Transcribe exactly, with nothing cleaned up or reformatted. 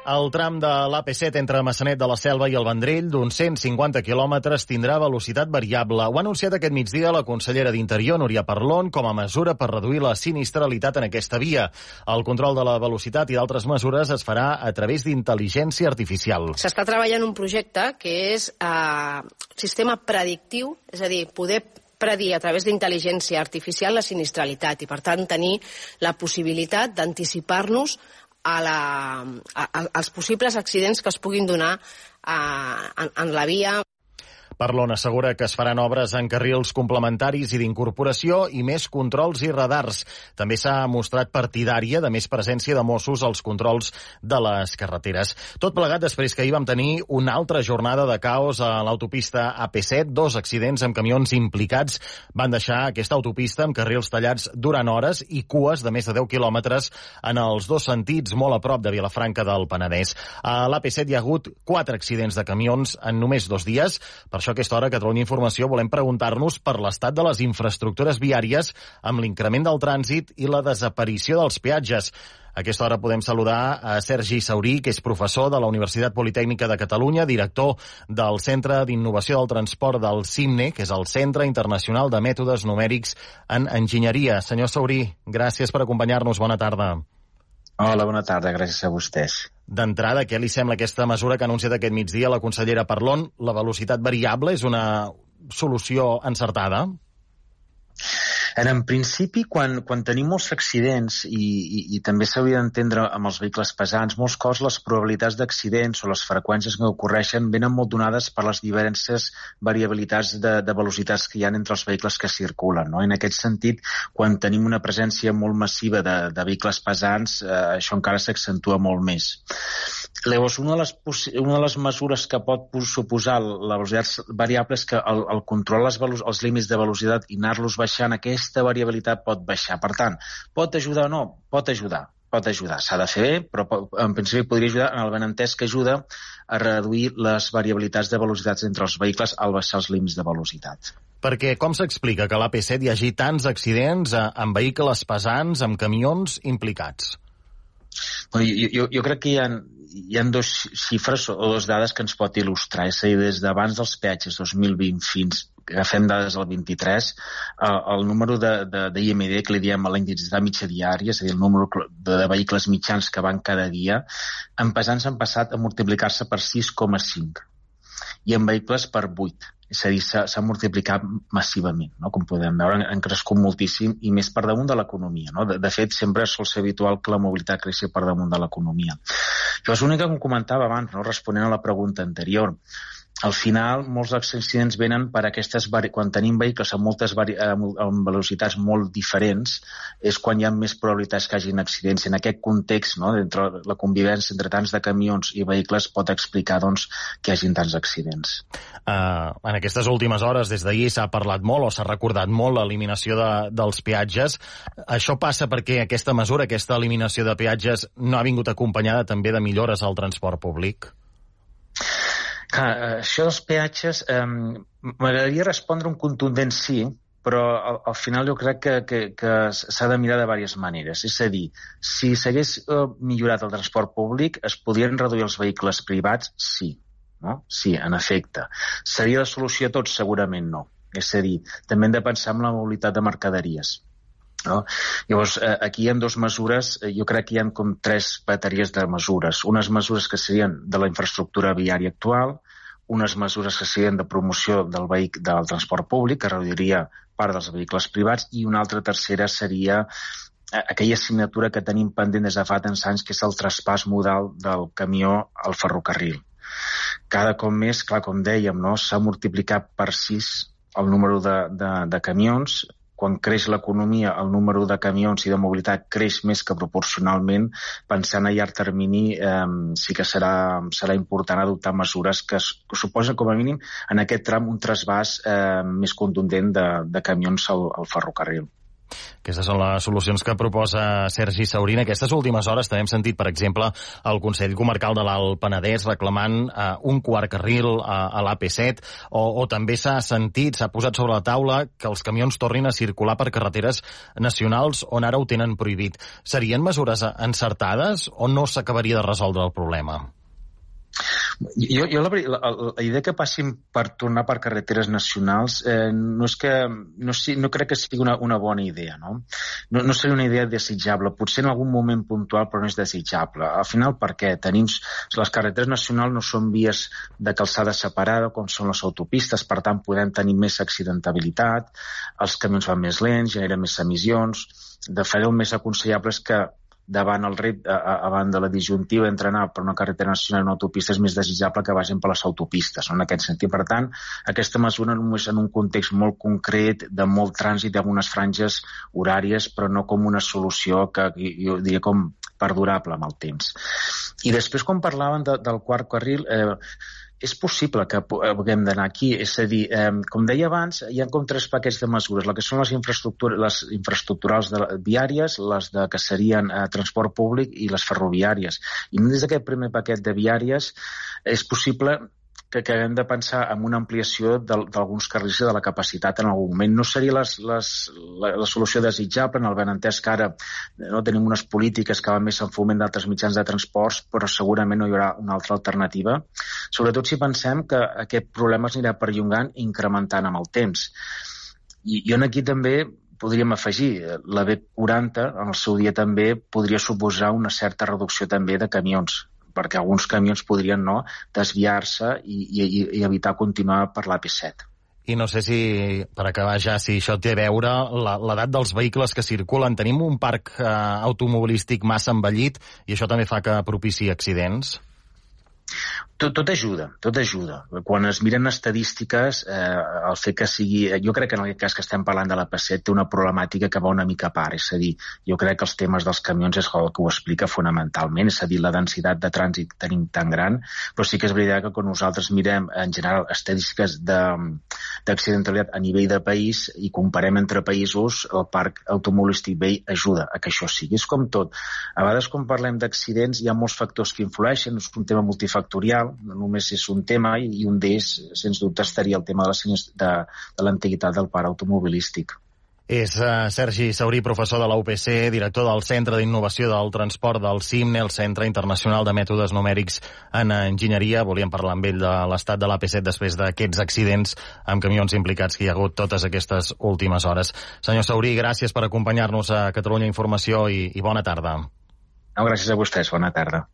El tram de l'A P set entre Maçanet de la Selva i el Vendrell, d'uns cent cinquanta quilòmetres, tindrà velocitat variable. Ho ha anunciat aquest migdia la consellera d'Interior, Núria Parlon, com a mesura per reduir la sinistralitat en aquesta via. El control de la velocitat i d'altres mesures es farà a través d'intel·ligència artificial. S'està treballant un projecte que és eh, sistema predictiu, és a dir, poder predir a través d'intel·ligència artificial la sinistralitat i, per tant, tenir la possibilitat d'anticipar-nos a la, a, a, als possibles accidents que es puguin donar a, en, en la via. Parlon assegura que es faran obres en carrils complementaris i d'incorporació i més controls i radars. També s'ha mostrat partidària de més presència de Mossos als controls de les carreteres. Tot plegat després que ahir vam tenir una altra jornada de caos a l'autopista A P set. Dos accidents amb camions implicats van deixar aquesta autopista amb carrils tallats durant hores i cues de més de deu quilòmetres en els dos sentits, molt a prop de Vilafranca del Penedès. A l'A P set hi ha hagut quatre accidents de camions en només dos dies. Per això a aquesta hora, a Catalunya Informació, volem preguntar-nos per l'estat de les infraestructures viàries amb l'increment del trànsit i la desaparició dels peatges. A aquesta hora podem saludar a Sergi Saurí, que és professor de la Universitat Politècnica de Catalunya, director del Centre d'Innovació del Transport del CIMNE, que és el Centre Internacional de Mètodes Numèrics en Enginyeria. Senyor Saurí, gràcies per acompanyar-nos. Bona tarda. Hola, bona tarda. Gràcies a vostès. D'entrada, què li sembla aquesta mesura que ha anunciat aquest migdia la consellera Parlon? La velocitat variable és una solució encertada? En principi, quan, quan tenim molts accidents, i, i, i també s'hauria d'entendre amb els vehicles pesants, molts cops les probabilitats d'accidents o les freqüències que ocorreixen venen molt donades per les diverses variabilitats de, de velocitats que hi ha entre els vehicles que circulen, no? En aquest sentit, quan tenim una presència molt massiva de, de vehicles pesants, eh, això encara s'accentua molt més. Llavors, una de, les, una de les mesures que pot suposar la velocitat variable és que el, el control dels els límits de velocitat i anar-los baixant, aquesta variabilitat pot baixar. Per tant, pot ajudar o no? Pot ajudar. Pot ajudar. S'ha de fer bé, però en principi podria ajudar en el benentès que ajuda a reduir les variabilitats de velocitats entre els vehicles al baixar els límits de velocitat. Perquè com s'explica que a l'A P set hi hagi tants accidents amb vehicles pesants, amb camions implicats? Jo, jo, jo crec que hi ha, hi ha dos xifres o dos dades que ens pot il·lustrar. És a dir, des d'abans dels peatges dos mil vint fins, agafem dades del vint-i-tres, el, el número de, de, de I M D, que li diem a la intensitat mitja diària, és a dir, el número de, de vehicles mitjans que van cada dia, en pesants han passat a multiplicar-se per sis coma cinc i en vehicles per vuit. És a dir, s'ha multiplicat massivament, no? Com podem veure, han crescut moltíssim i més per damunt de l'economia, no? De, de fet, sempre sol ser habitual que la mobilitat creixi per damunt de l'economia. Jo és l'únic que em comentava abans, no? Responent a la pregunta anterior. Al final, molts accidents venen per aquestes... Quan tenim vehicles amb moltes vari... amb velocitats molt diferents, és quan hi ha més probabilitats que hagin accidents. En aquest context, no? Entre la convivència entre tants de camions i vehicles pot explicar, doncs, que hi hagin tants accidents. Uh, en aquestes últimes hores, des d'ahir, s'ha parlat molt o s'ha recordat molt l'eliminació de, dels peatges. Això passa perquè aquesta mesura, aquesta eliminació de peatges, no ha vingut acompanyada també de millores al transport públic? Clar, això dels peatges, eh, m'agradaria respondre un contundent sí, però al, al final jo crec que, que, que s'ha de mirar de diverses maneres. És a dir, si s'hagués eh, millorat el transport públic, es podrien reduir els vehicles privats? Sí. No? Sí, en efecte. Seria la solució a tot? Segurament no. És a dir, també hem de pensar en la mobilitat de mercaderies. No? Llavors, eh, aquí hi ha dues mesures, eh, jo crec que hi ha com tres bateries de mesures. Unes mesures que serien de la infraestructura viària actual, unes mesures que serien de promoció del, vehic del transport públic, que reduiria part dels vehicles privats, i una altra tercera seria eh, aquella assignatura que tenim pendent des de fa tants anys, que és el traspàs modal del camió al ferrocarril. Cada cop més, clar, com dèiem, no? S'ha multiplicat per sis el número de, de, de camions. Quan creix l'economia, el número de camions i de mobilitat creix més que proporcionalment. Pensant a llarg termini, eh, sí que serà, serà important adoptar mesures que, que suposen, com a mínim, en aquest tram un trasbàs eh, més contundent de, de camions al, al ferrocarril. Aquestes són les solucions que proposa Sergi Saurí. En aquestes últimes hores també hem sentit, per exemple, el Consell Comarcal de l'Alt Penedès reclamant eh, un quart carril a, a l'A P set, o, o també s'ha sentit, s'ha posat sobre la taula que els camions tornin a circular per carreteres nacionals on ara ho tenen prohibit. Serien mesures encertades o no s'acabaria de resoldre el problema? Jo, jo la, la, la idea que passin per tornar per carreteres nacionals eh, no és que no, no crec que sigui una, una bona idea, no? no? No seria una idea desitjable, potser en algun moment puntual, però no és desitjable. Al final, per què? Tenim, les carreteres nacionals no són vies de calçada separada com són les autopistes, per tant podem tenir més accidentabilitat, els camions van més lents, generen més emissions. De fet, el més aconsellable és que davant el repte, davant de la disjuntiva entre anar per una carretera nacional i una autopista, és més desitjable que vagin per les autopistes, no? En aquest sentit. Per tant, aquesta mesura només en un context molt concret, de molt trànsit, d'algunes franges horàries, però no com una solució que jo diria com perdurable amb el temps. I després, quan parlaven de, del quart carril, eh, és possible que haguem d'anar aquí, és a dir, eh, com deia abans, hi ha com tres paquets de mesures, la que són les, infraestructures, les infraestructurals de, viàries, les de, que serien eh, transport públic i les ferroviàries. I dins d'aquest primer paquet de viàries és possible que, que hem de pensar en una ampliació d'alguns carrils de la capacitat en algun moment. No seria les, les, la, la solució desitjable, en el benentès que ara no tenim unes polítiques que van més en foment d'altres mitjans de transports, però segurament no hi haurà una altra alternativa. Sobretot si pensem que aquest problema es anirà perllongant i incrementant amb el temps. I, i aquí també podríem afegir, la B quaranta en el seu dia també podria suposar una certa reducció també de camions, perquè alguns camions podrien no desviar-se i, i, i evitar continuar per l'A P set. I no sé si, per acabar ja, si això té a veure l'edat dels vehicles que circulen. Tenim un parc eh, automobilístic massa envellit i això també fa que propiciï accidents? Tot, tot ajuda, tot ajuda. Quan es miren estadístiques, eh, el fet que sigui... Jo crec que en aquest cas que estem parlant de l'A P set té una problemàtica que va una mica a part, és a dir, jo crec que els temes dels camions és el que ho explica fonamentalment, és a dir, la densitat de trànsit tenim tan gran, però sí que és veritat que quan nosaltres mirem en general estadístiques d'accidentalitat a nivell de país i comparem entre països, el parc automobilístic vell ajuda a que això sigui. És com tot. A vegades quan parlem d'accidents hi ha molts factors que influeixen, és un tema multifactorial, no només és un tema, i un d'ells, sens dubte, estaria el tema de la de, de l'antiguitat del parc automobilístic. És uh, Sergi Saurí, professor de la U P C, director del Centre d'Innovació del Transport del CIMNE, el Centre Internacional de Mètodes Numèrics en Enginyeria. Volíem parlar amb ell de l'estat de l'A P set després d'aquests accidents amb camions implicats que hi ha hagut totes aquestes últimes hores. Senyor Saurí, gràcies per acompanyar-nos a Catalunya Informació i, i bona tarda. No, gràcies a vostès, bona tarda.